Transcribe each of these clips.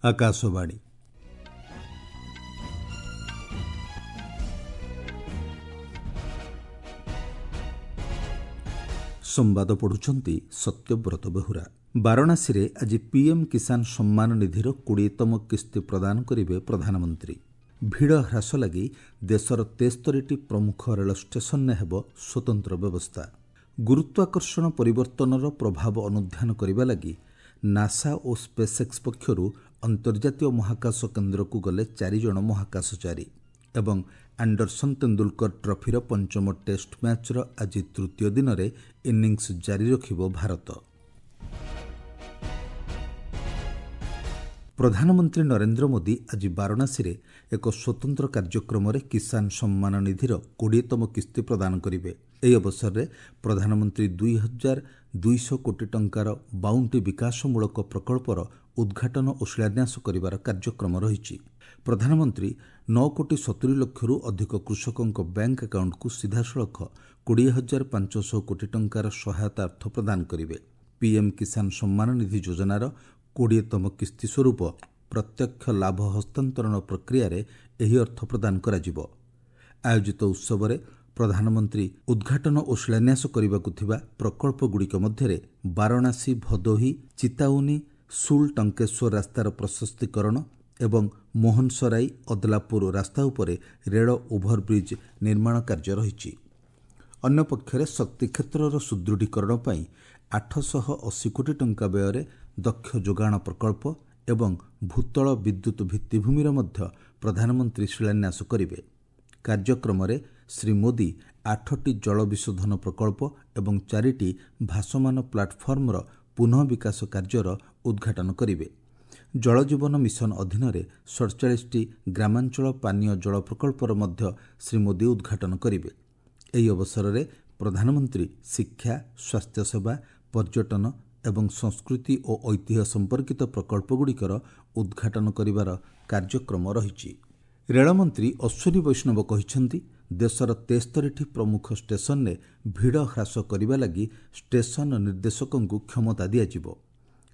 ଆକାଶବାଣୀ। ସମ୍ବାଦ ପଢ଼ୁଛନ୍ତି ସତ୍ୟବ୍ରତ ବେହୁରା। ବାରାଣସୀରେ ଆଜି ପିଏମ୍ କିଷାନ ସମ୍ମାନ ନିଧିର 20ତମ କିସ୍ତି ପ୍ରଦାନ କରିବେ ପ୍ରଧାନମନ୍ତ୍ରୀ। ଭିଡ଼ ହ୍ରାସ ଲାଗି ଦେଶର 73ଟି ପ୍ରମୁଖ ରେଳ ଷ୍ଟେସନରେ ହେବ ସ୍ୱତନ୍ତ୍ର ବ୍ୟବସ୍ଥା। ଗୁରୁତ୍ୱାକର୍ଷଣ ପରିବର୍ତ୍ତନର ପ୍ରଭାବ ଅନୁଧ୍ୟାନ କରିବା ଲାଗି ନାସା ଓ ସ୍ପେସ୍ଏକ୍ସ ପକ୍ଷରୁ ଅନ୍ତର୍ଜାତୀୟ ମହାକାଶ କେନ୍ଦ୍ରକୁ ଗଲେ 4 ଜଣ ମହାକାଶଚାରୀ। ଏବଂ ଆଣ୍ଡରସନ୍ ତେନ୍ଦୁଲକର ଟ୍ରଫିର ପଞ୍ଚମ ଟେଷ୍ଟ ମ୍ୟାଚ୍ର ଆଜି ତୃତୀୟ ଦିନରେ ଇନିଂସ ଜାରି ରଖିବ ଭାରତ। ପ୍ରଧାନମନ୍ତ୍ରୀ ନରେନ୍ଦ୍ର ମୋଦି ଆଜି ବାରାଣସୀରେ ଏକ ସ୍ୱତନ୍ତ୍ର କାର୍ଯ୍ୟକ୍ରମରେ କିଷାନ ସମ୍ମାନ ନିଧିର 20ତମ କିସ୍ତି ପ୍ରଦାନ କରିବେ। ଏହି ଅବସରରେ ପ୍ରଧାନମନ୍ତ୍ରୀ 2200 କୋଟି ଟଙ୍କାର 52ଟି ବିକାଶମୂଳକ ପ୍ରକଳ୍ପର ଉଦ୍ଘାଟନ ଓ ଶିଳାନ୍ୟାସ କରିବାର କାର୍ଯ୍ୟକ୍ରମ ରହିଛି। ପ୍ରଧାନମନ୍ତ୍ରୀ 9 କୋଟି 70 ଲକ୍ଷରୁ ଅଧିକ କୃଷକଙ୍କ ବ୍ୟାଙ୍କ ଆକାଉଣ୍ଟକୁ ସିଧାସଳଖ 20,500 କୋଟି ଟଙ୍କାର ସହାୟତା ଅର୍ଥ ପ୍ରଦାନ କରିବେ। ପିଏମ୍ କିଷାନ ସମ୍ମାନ ନିଧି ଯୋଜନାର 20ତମ କିସ୍ତି ସ୍ୱରୂପ ପ୍ରତ୍ୟକ୍ଷ ଲାଭ ହସ୍ତାନ୍ତରଣ ପ୍ରକ୍ରିୟାରେ ଏହି ଅର୍ଥ ପ୍ରଦାନ କରାଯିବ। ଆୟୋଜିତ ଉତ୍ସବରେ ପ୍ରଧାନମନ୍ତ୍ରୀ ଉଦ୍ଘାଟନ ଓ ଶିଳାନ୍ୟାସ କରିବାକୁ ଥିବା ପ୍ରକଳ୍ପଗୁଡ଼ିକ ମଧ୍ୟରେ ବାରାଣସୀ ଭଦୋହି ଚିତାଉନି ସୁଲ ଟଙ୍କେଶ୍ୱର ରାସ୍ତାର ପ୍ରଶସ୍ତିକରଣ ଏବଂ ମୋହନସରାଇ ଅଦଲାପୁର ରାସ୍ତା ଉପରେ ରେଳ ଓଭରବ୍ରିଜ୍ ନିର୍ମାଣ କାର୍ଯ୍ୟ ରହିଛି। ଅନ୍ୟପକ୍ଷରେ ଶକ୍ତି କ୍ଷେତ୍ରର ସୁଦୃଢ଼ୀକରଣ ପାଇଁ 880 କୋଟି ଟଙ୍କା ବ୍ୟୟରେ ଦକ୍ଷ ଯୋଗାଣ ପ୍ରକଳ୍ପ ଏବଂ ଭୂତଳ ବିଦ୍ୟୁତ୍ ଭିତ୍ତିଭୂମିର ମଧ୍ୟ ପ୍ରଧାନମନ୍ତ୍ରୀ ଶିଳାନ୍ୟାସ କରିବେ। କାର୍ଯ୍ୟକ୍ରମରେ ଶ୍ରୀ ମୋଦି 8ଟି ଜଳ ବିଶୋଧନ ପ୍ରକଳ୍ପ ଏବଂ 4ଟି ଭାସମାନ ପ୍ଲାଟଫର୍ମର ପୁନଃ ବିକାଶ କାର୍ଯ୍ୟର ଉଦ୍ଘାଟନ କରିବେ। ଜଳଜୀବନ ମିଶନ ଅଧୀନରେ 47ଟି ଗ୍ରାମାଞ୍ଚଳ ପାନୀୟ ଜଳ ପ୍ରକଳ୍ପର ମଧ୍ୟ ଶ୍ରୀ ମୋଦି ଉଦ୍ଘାଟନ କରିବେ। ଏହି ଅବସରରେ ପ୍ରଧାନମନ୍ତ୍ରୀ ଶିକ୍ଷା, ସ୍ୱାସ୍ଥ୍ୟସେବା, ପର୍ଯ୍ୟଟନ ଏବଂ ସଂସ୍କୃତି ଓ ଐତିହ୍ୟ ସମ୍ପର୍କିତ ପ୍ରକଳ୍ପଗୁଡ଼ିକର ଉଦ୍ଘାଟନ କରିବାର କାର୍ଯ୍ୟକ୍ରମ ରହିଛି। ରେଳମନ୍ତ୍ରୀ ଅଶ୍ୱିନୀ ବୈଷ୍ଣବ କହିଛନ୍ତି, ଦେଶର 73ଟି ପ୍ରମୁଖ ଷ୍ଟେସନରେ ଭିଡ଼ ହ୍ରାସ କରିବା ଲାଗି ଷ୍ଟେସନ ନିର୍ଦ୍ଦେଶକଙ୍କୁ କ୍ଷମତା ଦିଆଯିବ।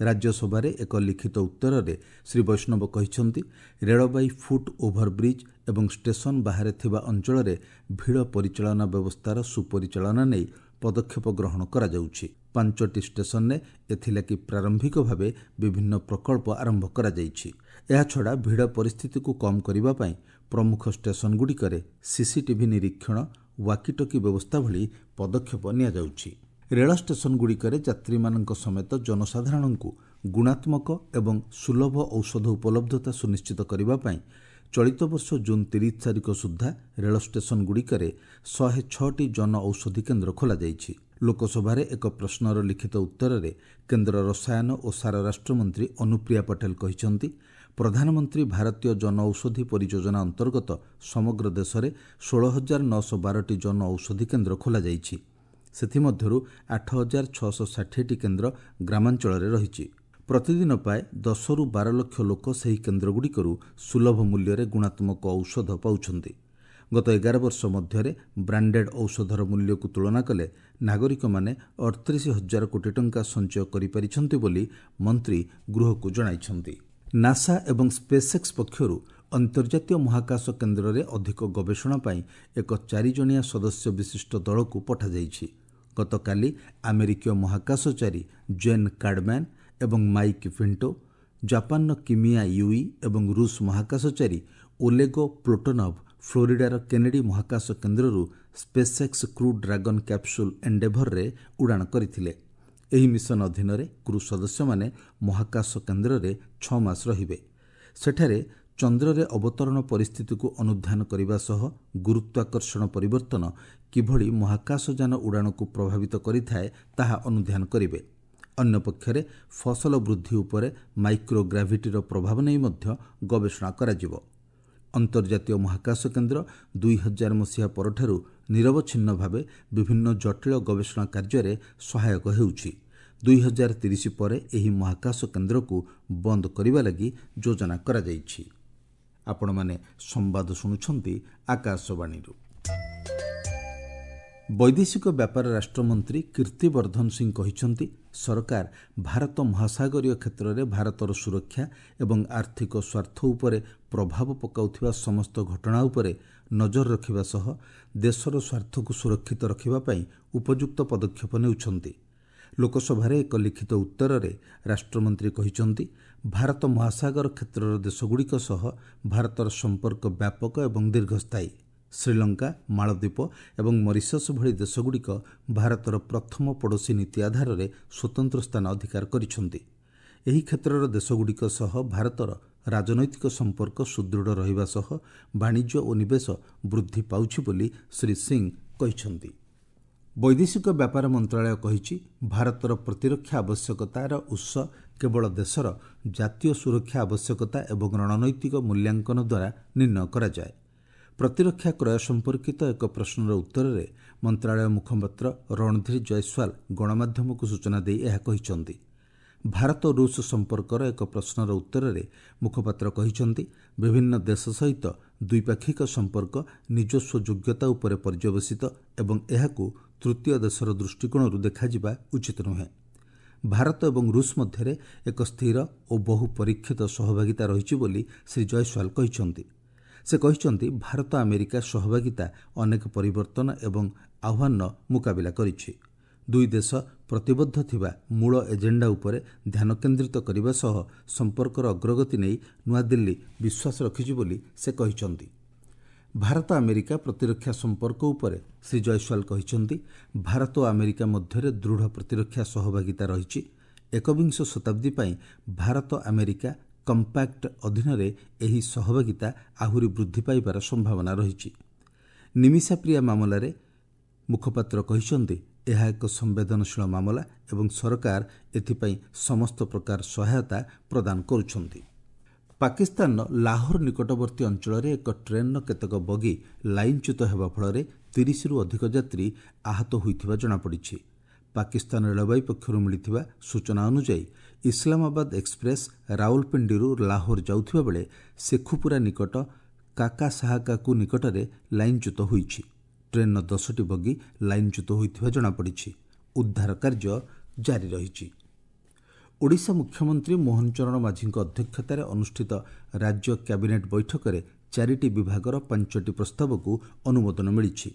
ରାଜ୍ୟସଭାରେ ଏକ ଲିଖିତ ଉତ୍ତରରେ ଶ୍ରୀ ବୈଷ୍ଣବ କହିଛନ୍ତି, ରେଳବାଇ ଫୁଟ୍ ଓଭରବ୍ରିଜ୍ ଏବଂ ଷ୍ଟେସନ ବାହାରେ ଥିବା ଅଞ୍ଚଳରେ ଭିଡ଼ ପରିଚାଳନା ବ୍ୟବସ୍ଥାର ସୁପରିଚାଳନା ନେଇ ପଦକ୍ଷେପ ଗ୍ରହଣ କରାଯାଉଛି। 5ଟି ଷ୍ଟେସନରେ ଏଥିଲାଗି ପ୍ରାରମ୍ଭିକ ଭାବେ ବିଭିନ୍ନ ପ୍ରକଳ୍ପ ଆରମ୍ଭ କରାଯାଇଛି। ଏହାଛଡ଼ା ଭିଡ଼ ପରିସ୍ଥିତିକୁ କମ୍ କରିବା ପାଇଁ ପ୍ରମୁଖ ଷ୍ଟେସନଗୁଡ଼ିକରେ ସିସିଟିଭି ନିରୀକ୍ଷଣ, ୱାକିଟକି ବ୍ୟବସ୍ଥା ଭଳି ପଦକ୍ଷେପ ନିଆଯାଉଛି। ରେଳ ଷ୍ଟେସନଗୁଡ଼ିକରେ ଯାତ୍ରୀମାନଙ୍କ ସମେତ ଜନସାଧାରଣଙ୍କୁ ଗୁଣାତ୍ମକ ଏବଂ ସୁଲଭ ଔଷଧ ଉପଲବ୍ଧତା ସୁନିଶ୍ଚିତ କରିବା ପାଇଁ ଚଳିତ ବର୍ଷ ଜୁନ୍ 30 ତାରିଖ ସୁଦ୍ଧା ରେଳ ଷ୍ଟେସନଗୁଡ଼ିକରେ 106ଟି ଜନ ଔଷଧି କେନ୍ଦ୍ର ଖୋଲାଯାଇଛି। ଲୋକସଭାରେ ଏକ ପ୍ରଶ୍ନର ଲିଖିତ ଉତ୍ତରରେ କେନ୍ଦ୍ର ରସାୟନ ଓ ସାର ରାଷ୍ଟ୍ରମନ୍ତ୍ରୀ ଅନୁପ୍ରିୟା ପଟେଲ କହିଛନ୍ତି, ପ୍ରଧାନମନ୍ତ୍ରୀ ଭାରତୀୟ ଜନଔଷଧି ପରିଯୋଜନା ଅନ୍ତର୍ଗତ ସମଗ୍ର ଦେଶରେ 16,912ଟି ଜନ ଔଷଧି କେନ୍ଦ୍ର ଖୋଲାଯାଇଛି। ସେଥିମଧ୍ୟରୁ 8,660ଟି କେନ୍ଦ୍ର ଗ୍ରାମାଞ୍ଚଳରେ ରହିଛି। ପ୍ରତିଦିନ ପ୍ରାୟ 10ରୁ 12 ଲକ୍ଷ ଲୋକ ସେହି କେନ୍ଦ୍ରଗୁଡ଼ିକରୁ ସୁଲଭ ମୂଲ୍ୟରେ ଗୁଣାତ୍ମକ ଔଷଧ ପାଉଛନ୍ତି। ଗତ 11 ବର୍ଷ ମଧ୍ୟରେ ବ୍ରାଣ୍ଡେଡ୍ ଔଷଧର ମୂଲ୍ୟକୁ ତୁଳନା କଲେ ନାଗରିକମାନେ 38,000 କୋଟି ଟଙ୍କା ସଞ୍ଚୟ କରିପାରିଛନ୍ତି ବୋଲି ମନ୍ତ୍ରୀ ଗୃହକୁ ଜଣାଇଛନ୍ତି। ନାସା ଏବଂ ସ୍ପେସ୍ଏକ୍ସ ପକ୍ଷରୁ ଅନ୍ତର୍ଜାତୀୟ ମହାକାଶ କେନ୍ଦ୍ରରେ ଅଧିକ ଗବେଷଣା ପାଇଁ ଏକ 4 ଜଣିଆ ସଦସ୍ୟ ବିଶିଷ୍ଟ ଦଳକୁ ପଠାଯାଇଛି। ଗତକାଲି ଆମେରିକୀୟ ମହାକାଶଚାରୀ ଜେନ୍ କାର୍ଡମ୍ୟାନ୍ ଏବଂ ମାଇକ୍ ପିଣ୍ଟୋ, ଜାପାନର କିମିଆ ୟୁଇ ଏବଂ ରୁଷ ମହାକାଶଚାରୀ ଓଲେଗୋ ପ୍ଲୋଟୋନଭ୍ ଫ୍ଲୋରିଡାର କେନେଡି ମହାକାଶ କେନ୍ଦ୍ରରୁ ସ୍ପେସ୍ଏକ୍ସ କ୍ରୁ ଡ୍ରାଗନ୍ କ୍ୟାପସୁଲ୍ ଏଣ୍ଡେଭରରେ ଉଡ଼ାଣ କରିଥିଲେ। ଏହି ମିଶନ ଅଧୀନରେ କ୍ରୁ ସଦସ୍ୟମାନେ ମହାକାଶ କେନ୍ଦ୍ରରେ 6 ମାସ ରହିବେ। ସେଠାରେ ଚନ୍ଦ୍ରରେ ଅବତରଣ ପରିସ୍ଥିତିକୁ ଅନୁଧ୍ୟାନ କରିବା ସହ ଗୁରୁତ୍ୱାକର୍ଷଣ ପରିବର୍ତ୍ତନ କିଭଳି ମହାକାଶଯାନ ଉଡ଼ାଣକୁ ପ୍ରଭାବିତ କରିଥାଏ ତାହା ଅନୁଧ୍ୟାନ କରିବେ। ଅନ୍ୟପକ୍ଷରେ ଫସଲ ବୃଦ୍ଧି ଉପରେ ମାଇକ୍ରୋଗ୍ରାଭିଟିର ପ୍ରଭାବ ନେଇ ମଧ୍ୟ ଗବେଷଣା କରାଯିବ। ଅନ୍ତର୍ଜାତୀୟ ମହାକାଶ କେନ୍ଦ୍ର 2000 ମସିହା ପରଠାରୁ ନିରବଚ୍ଛିନ୍ନ ଭାବେ ବିଭିନ୍ନ ଜଟିଳ ଗବେଷଣା କାର୍ଯ୍ୟରେ ସହାୟକ ହେଉଛି। 2030 ପରେ ଏହି ମହାକାଶ କେନ୍ଦ୍ରକୁ ବନ୍ଦ କରିବା ଲାଗି ଯୋଜନା କରାଯାଇଛି। ଆପଣମାନେ ସମ୍ବାଦ ଶୁଣୁଛନ୍ତି ଆକାଶବାଣୀରୁ। ବୈଦେଶିକ ବ୍ୟାପାର ରାଷ୍ଟ୍ରମନ୍ତ୍ରୀ କୀର୍ତ୍ତିବର୍ଦ୍ଧନ ସିଂ କହିଛନ୍ତି, ସରକାର ଭାରତ ମହାସାଗରୀୟ କ୍ଷେତ୍ରରେ ଭାରତର ସୁରକ୍ଷା ଏବଂ ଆର୍ଥିକ ସ୍ୱାର୍ଥ ଉପରେ ପ୍ରଭାବ ପକାଉଥିବା ସମସ୍ତ ଘଟଣା ଉପରେ ନଜର ରଖିବା ସହ ଦେଶର ସ୍ୱାର୍ଥକୁ ସୁରକ୍ଷିତ ରଖିବା ପାଇଁ ଉପଯୁକ୍ତ ପଦକ୍ଷେପ ନେଉଛନ୍ତି। ଲୋକସଭାରେ ଏକ ଲିଖିତ ଉତ୍ତରରେ ରାଷ୍ଟ୍ରମନ୍ତ୍ରୀ କହିଛନ୍ତି, ଭାରତ ମହାସାଗର କ୍ଷେତ୍ରର ଦେଶଗୁଡ଼ିକ ସହ ଭାରତର ସମ୍ପର୍କ ବ୍ୟାପକ ଏବଂ ଦୀର୍ଘସ୍ଥାୟୀ। ଶ୍ରୀଲଙ୍କା, ମାଳଦ୍ୱୀପ ଏବଂ ମରିସସ୍ ଭଳି ଦେଶଗୁଡ଼ିକ ଭାରତର ପ୍ରଥମ ପଡ଼ୋଶୀ ନୀତି ଆଧାରରେ ସ୍ୱତନ୍ତ୍ର ସ୍ଥାନ ଅଧିକାର କରିଛନ୍ତି। ଏହି କ୍ଷେତ୍ରର ଦେଶଗୁଡ଼ିକ ସହ ଭାରତର ରାଜନୈତିକ ସମ୍ପର୍କ ସୁଦୃଢ଼ ରହିବା ସହ ବାଣିଜ୍ୟ ଓ ନିବେଶ ବୃଦ୍ଧି ପାଉଛି ବୋଲି ଶ୍ରୀ ସିଂ କହିଛନ୍ତି। ବୈଦେଶିକ ବ୍ୟାପାର ମନ୍ତ୍ରଣାଳୟ କହିଛି, ଭାରତର ପ୍ରତିରକ୍ଷା ଆବଶ୍ୟକତାର ଉତ୍ସ କେବଳ ଦେଶର ଜାତୀୟ ସୁରକ୍ଷା ଆବଶ୍ୟକତା ଏବଂ ରଣନୈତିକ ମୂଲ୍ୟାଙ୍କନ ଦ୍ୱାରା ନିର୍ଣ୍ଣୟ କରାଯାଏ। ପ୍ରତିରକ୍ଷା କ୍ରୟ ସମ୍ପର୍କିତ ଏକ ପ୍ରଶ୍ନର ଉତ୍ତରରେ ମନ୍ତ୍ରଣାଳୟ ମୁଖପାତ୍ର ରଣଧୀର ଜୟସ୍ୱାଲ ଗଣମାଧ୍ୟମକୁ ସୂଚନା ଦେଇ ଏହା କହିଛନ୍ତି। ଭାରତ ରୁଷ ସମ୍ପର୍କର ଏକ ପ୍ରଶ୍ନର ଉତ୍ତରରେ ମୁଖପାତ୍ର କହିଛନ୍ତି, ବିଭିନ୍ନ ଦେଶ ସହିତ ଦ୍ୱିପାକ୍ଷିକ ସମ୍ପର୍କ ନିଜସ୍ୱ ଯୋଗ୍ୟତା ଉପରେ ପର୍ଯ୍ୟବସିତ ଏବଂ ଏହାକୁ ତୃତୀୟ ଦେଶର ଦୃଷ୍ଟିକୋଣରୁ ଦେଖାଯିବା ଉଚିତ ନୁହେଁ। ଭାରତ ଏବଂ ରୁଷ ମଧ୍ୟରେ ଏକ ସ୍ଥିର ଓ ବହୁ ପରୀକ୍ଷିତ ସହଭାଗିତା ରହିଛି ବୋଲି ଶ୍ରୀ ଜୟସ୍ୱାଲ କହିଛନ୍ତି। ସେ କହିଛନ୍ତି, ଭାରତ ଆମେରିକା ସହଭାଗିତା ଅନେକ ପରିବର୍ତ୍ତନ ଏବଂ ଆହ୍ୱାନର ମୁକାବିଲା କରିଛି। ଦୁଇ ଦେଶ ପ୍ରତିବଦ୍ଧ ଥିବା ମୂଳ ଏଜେଣ୍ଡା ଉପରେ ଧ୍ୟାନ କେନ୍ଦ୍ରିତ କରିବା ସହ ସମ୍ପର୍କର ଅଗ୍ରଗତି ନେଇ ନୂଆଦିଲ୍ଲୀ ବିଶ୍ୱାସ ରଖିଛି ବୋଲି ସେ କହିଛନ୍ତି। ଭାରତ ଆମେରିକା ପ୍ରତିରକ୍ଷା ସମ୍ପର୍କ ଉପରେ ଶ୍ରୀ ଜୟସ୍ୱାଲ କହିଛନ୍ତି, ଭାରତ ଓ ଆମେରିକା ମଧ୍ୟରେ ଦୃଢ଼ ପ୍ରତିରକ୍ଷା ସହଭାଗିତା ରହିଛି। ଏକବିଂଶ ଶତାବ୍ଦୀ ପାଇଁ ଭାରତ ଆମେରିକା କମ୍ପାକ୍ଟ ଅଧୀନରେ ଏହି ସହଭାଗିତା ଆହୁରି ବୃଦ୍ଧି ପାଇବାର ସମ୍ଭାବନା ରହିଛି। ନିମିଷା ପ୍ରିୟା ମାମଲାରେ ମୁଖପାତ୍ର କହିଛନ୍ତି, ଏହା ଏକ ସମ୍ବେଦନଶୀଳ ମାମଲା ଏବଂ ସରକାର ଏଥିପାଇଁ ସମସ୍ତ ପ୍ରକାର ସହାୟତା ପ୍ରଦାନ କରୁଛନ୍ତି। ପାକିସ୍ତାନର ଲାହୋର ନିକଟବର୍ତ୍ତୀ ଅଞ୍ଚଳରେ ଏକ ଟ୍ରେନ୍ର କେତେକ ବଗି ଲାଇନ୍ଚ୍ୟୁତ ହେବା ଫଳରେ 30ରୁ ଅଧିକ ଯାତ୍ରୀ ଆହତ ହୋଇଥିବା ଜଣାପଡ଼ିଛି। ପାକିସ୍ତାନ ରେଳବାଇ ପକ୍ଷରୁ ମିଳିଥିବା ସୂଚନା ଅନୁଯାୟୀ, ଇସଲାମାବାଦ ଏକ୍ସପ୍ରେସ୍ ରାୱଲପିଣ୍ଡିରୁ ଲାହୋର ଯାଉଥିବା ବେଳେ ଶେଖୁପୁରା ନିକଟ କାକାସାହାକାକୁ ନିକଟରେ ଲାଇନ୍ଚ୍ୟୁତ ହୋଇଛି। ଟ୍ରେନ୍ର 10ଟି ବଗି ଲାଇନ୍ଚ୍ୟୁତ ହୋଇଥିବା ଜଣାପଡ଼ିଛି। ଉଦ୍ଧାର କାର୍ଯ୍ୟ ଜାରି ରହିଛି। ଓଡ଼ିଶା ମୁଖ୍ୟମନ୍ତ୍ରୀ ମୋହନ ଚରଣ ମାଝୀଙ୍କ ଅଧ୍ୟକ୍ଷତାରେ ଅନୁଷ୍ଠିତ ରାଜ୍ୟ କ୍ୟାବିନେଟ୍ ବୈଠକରେ 4ଟି ବିଭାଗର 5ଟି ପ୍ରସ୍ତାବକୁ ଅନୁମୋଦନ ମିଳିଛି।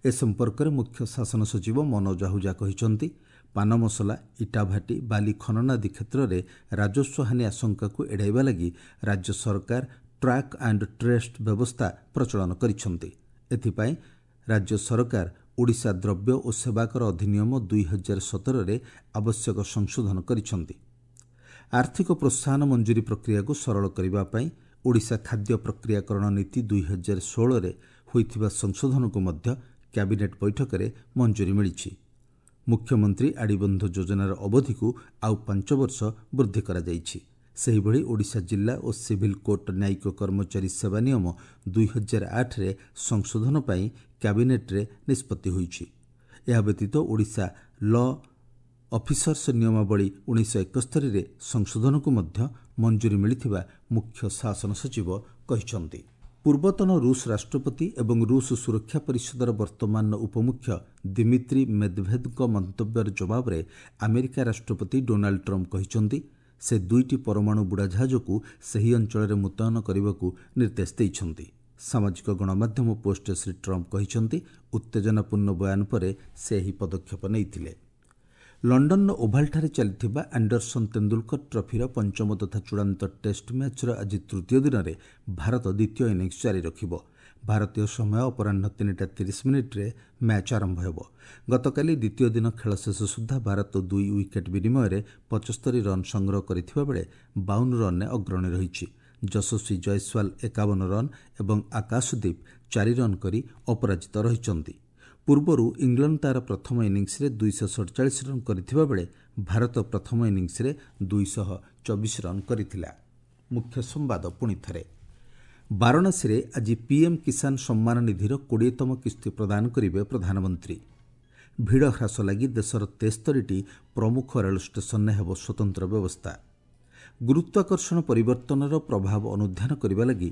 ଏ ସମ୍ପର୍କରେ ମୁଖ୍ୟ ଶାସନ ସଚିବ ମନୋଜ ଆହୁଜା କହିଛନ୍ତି, ପାନ ମସଲା, ଇଟାଭାଟି, ବାଲି ଖନନ ଆଦି କ୍ଷେତ୍ରରେ ରାଜସ୍ୱ ହାନି ଆଶଙ୍କାକୁ ଏଡ଼ାଇବା ଲାଗି ରାଜ୍ୟ ସରକାର ଟ୍ରାକ୍ ଆଣ୍ଡ ଟ୍ରେସ୍ ବ୍ୟବସ୍ଥା ପ୍ରଚଳନ କରିଛନ୍ତି। ଏଥିପାଇଁ ରାଜ୍ୟ ସରକାର ଓଡ଼ିଶା ଦ୍ରବ୍ୟ ଓ ସେବାକର ଅଧିନିୟମ 2017ରେ ଆବଶ୍ୟକ ସଂଶୋଧନ କରିଛନ୍ତି। ଆର୍ଥିକ ପ୍ରୋତ୍ସାହନ ମଞ୍ଜୁରୀ ପ୍ରକ୍ରିୟାକୁ ସରଳ କରିବା ପାଇଁ ଓଡ଼ିଶା ଖାଦ୍ୟ ପ୍ରକ୍ରିୟାକରଣ ନୀତି 2016ରେ ହୋଇଥିବା ସଂଶୋଧନକୁ ମଧ୍ୟ କ୍ୟାବିନେଟ୍ ବୈଠକରେ ମଞ୍ଜୁରୀ ମିଳିଛି। ମୁଖ୍ୟମନ୍ତ୍ରୀ ଆଡ଼ିବନ୍ଧ ଯୋଜନାର ଅବଧିକୁ ଆଉ 5 ବର୍ଷ ବୃଦ୍ଧି କରାଯାଇଛି। ସେହିଭଳି ଓଡ଼ିଶା ଜିଲ୍ଲା ଓ ସିଭିଲ୍ କୋର୍ଟ ନ୍ୟାୟିକ କର୍ମଚାରୀ ସେବା ନିୟମ 2008ରେ ସଂଶୋଧନ ପାଇଁ କ୍ୟାବିନେଟ୍ରେ ନିଷ୍ପତ୍ତି ହୋଇଛି। ଏହା ବ୍ୟତୀତ ଓଡ଼ିଶା ଲ ଅଫିସର୍ସ ନିୟମାବଳୀ 1971ରେ ସଂଶୋଧନକୁ ମଧ୍ୟ ମଞ୍ଜୁରୀ ମିଳିଥିବା ମୁଖ୍ୟ ଶାସନ ସଚିବ କହିଛନ୍ତି। ପୂର୍ବତନ ରୁଷ ରାଷ୍ଟ୍ରପତି ଏବଂ ରୁଷ ସୁରକ୍ଷା ପରିଷଦର ବର୍ତ୍ତମାନର ଉପମୁଖ୍ୟ ଦିମିତ୍ରି ମେଦଭେଦଙ୍କ ମନ୍ତବ୍ୟର ଜବାବରେ ଆମେରିକା ରାଷ୍ଟ୍ରପତି ଡୋନାଲ୍ଡ ଟ୍ରମ୍ପ କହିଛନ୍ତି, ସେ 2ଟି ପରମାଣୁ ବୁଡ଼ାଜାହାଜକୁ ସେହି ଅଞ୍ଚଳରେ ମୁତୟନ କରିବାକୁ ନିର୍ଦ୍ଦେଶ ଦେଇଛନ୍ତି। ସାମାଜିକ ଗଣମାଧ୍ୟମ ପୋଷ୍ଟରେ ଶ୍ରୀ ଟ୍ରମ୍ପ କହିଛନ୍ତି, ଉତ୍ତେଜନାପୂର୍ଣ୍ଣ ବୟାନ ପରେ ସେ ଏହି ପଦକ୍ଷେପ ନେଇଥିଲେ। ଲଣ୍ଡନର ଓଭାଲଠାରେ ଚାଲିଥିବା ଆଣ୍ଡରସନ୍ ତେନ୍ଦୁଲକର ଟ୍ରଫିର ପଞ୍ଚମ ତଥା ଚୂଡ଼ାନ୍ତ ଟେଷ୍ଟ ମ୍ୟାଚ୍ର ଆଜି ତୃତୀୟ ଦିନରେ ଭାରତ ଦ୍ୱିତୀୟ ଇନିଂସ ଜାରି ରଖିବ। ଭାରତୀୟ ସମୟ ଅପରାହ୍ନ 3:30 ମ୍ୟାଚ୍ ଆରମ୍ଭ ହେବ। ଗତକାଲି ଦ୍ୱିତୀୟ ଦିନ ଖେଳ ଶେଷ ସୁଦ୍ଧା ଭାରତ 2 ୱିକେଟ୍ ବିନିମୟରେ 75 ରନ୍ ସଂଗ୍ରହ କରିଥିବା ବେଳେ 52 ରନ୍ରେ ଅଗ୍ରଣୀ ରହିଛି। ଯଶସ୍ୱୀ ଜୟସ୍ୱାଲ 51 ରନ୍ ଏବଂ ଆକାଶଦୀପ 4 ରନ୍ କରି ଅପରାଜିତ ରହିଛନ୍ତି। ପୂର୍ବରୁ ଇଂଲଣ୍ଡ ତା'ର ପ୍ରଥମ ଇନିଂସରେ 247 ରନ୍ କରିଥିବା ବେଳେ ଭାରତ ପ୍ରଥମ ଇନିଂସରେ 224 ରନ୍ କରିଥିଲା। ମୁଖ୍ୟ ସମ୍ବାଦ ପୁଣି ଥରେ। ବାରାଣସୀରେ ଆଜି ପିଏମ୍ କିଷାନ ସମ୍ମାନ ନିଧିର 20ତମ କିସ୍ତି ପ୍ରଦାନ କରିବେ ପ୍ରଧାନମନ୍ତ୍ରୀ। ଭିଡ଼ ହ୍ରାସ ଲାଗି ଦେଶର 73ଟି ପ୍ରମୁଖ ରେଳ ଷ୍ଟେସନରେ ହେବ ସ୍ୱତନ୍ତ୍ର ବ୍ୟବସ୍ଥା। ଗୁରୁତ୍ୱାକର୍ଷଣ ପରିବର୍ତ୍ତନର ପ୍ରଭାବ ଅନୁଧ୍ୟାନ କରିବା ଲାଗି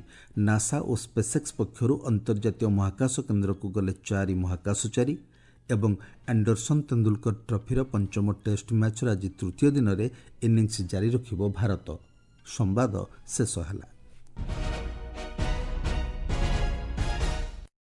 ନାସା ଓ ସ୍ପେସ୍ଏକ୍ସ ପକ୍ଷରୁ ଅନ୍ତର୍ଜାତୀୟ ମହାକାଶ କେନ୍ଦ୍ରକୁ ଗଲେ 4 ମହାକାଶଚାରୀ। ଏବଂ ଆଣ୍ଡରସନ୍ ତେନ୍ଦୁଲକର ଟ୍ରଫିର ପଞ୍ଚମ ଟେଷ୍ଟ ମ୍ୟାଚ୍ର ଆଜି ତୃତୀୟ ଦିନରେ ଇନିଂସ ଜାରି ରଖିବ ଭାରତ। ସମ୍ବାଦ ଶେଷ ହେଲା।